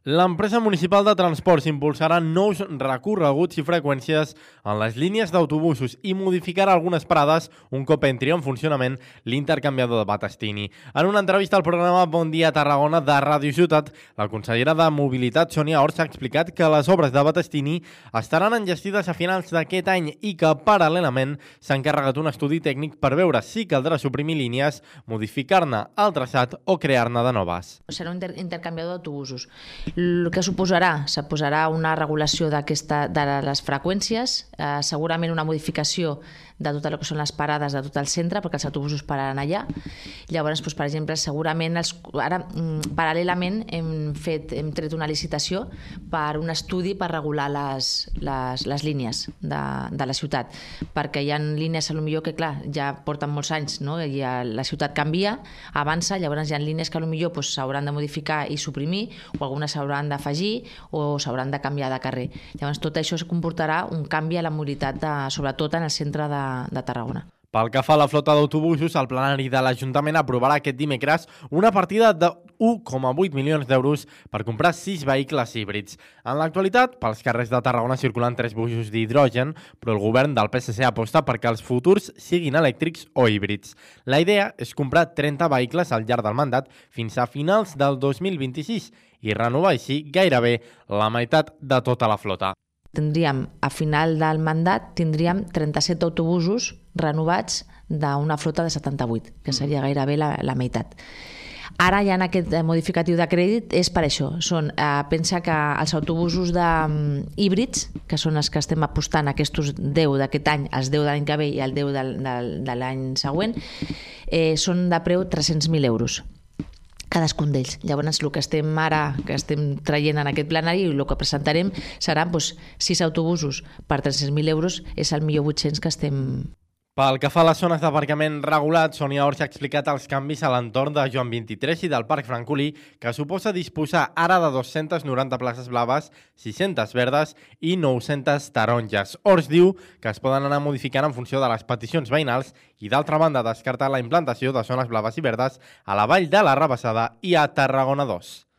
L'empresa municipal de transports impulsarà nous recorreguts i freqüències en les línies d'autobusos i modificarà algunes parades un cop entri en funcionament l'intercanviador de Battestini. En una entrevista al programa Bon Dia Tarragona de Ràdio Ciutat, la consellera de Mobilitat, Sònia Ors, ha explicat que les obres de Battestini estaran enllestides a finals d'aquest any i que, paral·lelament, s'ha encarregat un estudi tècnic per veure si caldrà suprimir línies, modificar-ne el traçat o crear-ne de noves. Serà un intercanviador d'autobusos. El que suposarà una regulació de les freqüències, segurament una modificació de tot el que són les parades de tot el centre, perquè els autobusos pararan allà. Llavors, per exemple, segurament, ara paral·lelament hem tret una licitació per un estudi per regular les línies de la ciutat, perquè hi ha línies potser que, clar, ja porten molts anys, no? I la ciutat canvia, avança, llavors hi ha línies que potser s'hauran de modificar i suprimir, o algunes s'hauran d'afegir o s'hauran de canviar de carrer. Llavors, tot això comportarà un canvi a la mobilitat, sobretot en el centre de Tarragona. Pel que fa a la flota d'autobusos, el plenari de l'Ajuntament aprovarà aquest dimecres una partida de 1,8 milions d'euros per comprar 6 vehicles híbrids. En l'actualitat, pels carrers de Tarragona circulen 3 busos d'hidrogen, però el govern del PSC aposta perquè els futurs siguin elèctrics o híbrids. La idea és comprar 30 vehicles al llarg del mandat fins a finals del 2026 i renovar així gairebé la meitat de tota la flota. A final del mandat, tindríem 37 autobusos renovats d'una flota de 78, que seria gairebé la meitat. Ara ja en aquest modificatiu de crèdit és per això. Pensa que els autobusos híbrids, que són els que estem apostant, aquests 10 d'aquest any, els 10 de l'any que ve i el 10 de l'any següent, són de preu 300.000 euros. Cadascun d'ells. Llavors, el que estem traient en aquest plenari i el que presentarem seran 6 autobusos per 300.000 euros, és el millor 800 que estem... Pel que fa a les zones d'aparcament regulat, Sònia Ors ha explicat els canvis a l'entorn de Joan 23 i del Parc Francolí, que suposa disposar ara de 290 places blaves, 600 verdes i 900 taronges. Ors diu que es poden anar modificant en funció de les peticions veïnals i, d'altra banda, descartar la implantació de zones blaves i verdes a la Vall de la Rabassada i a Tarragona 2.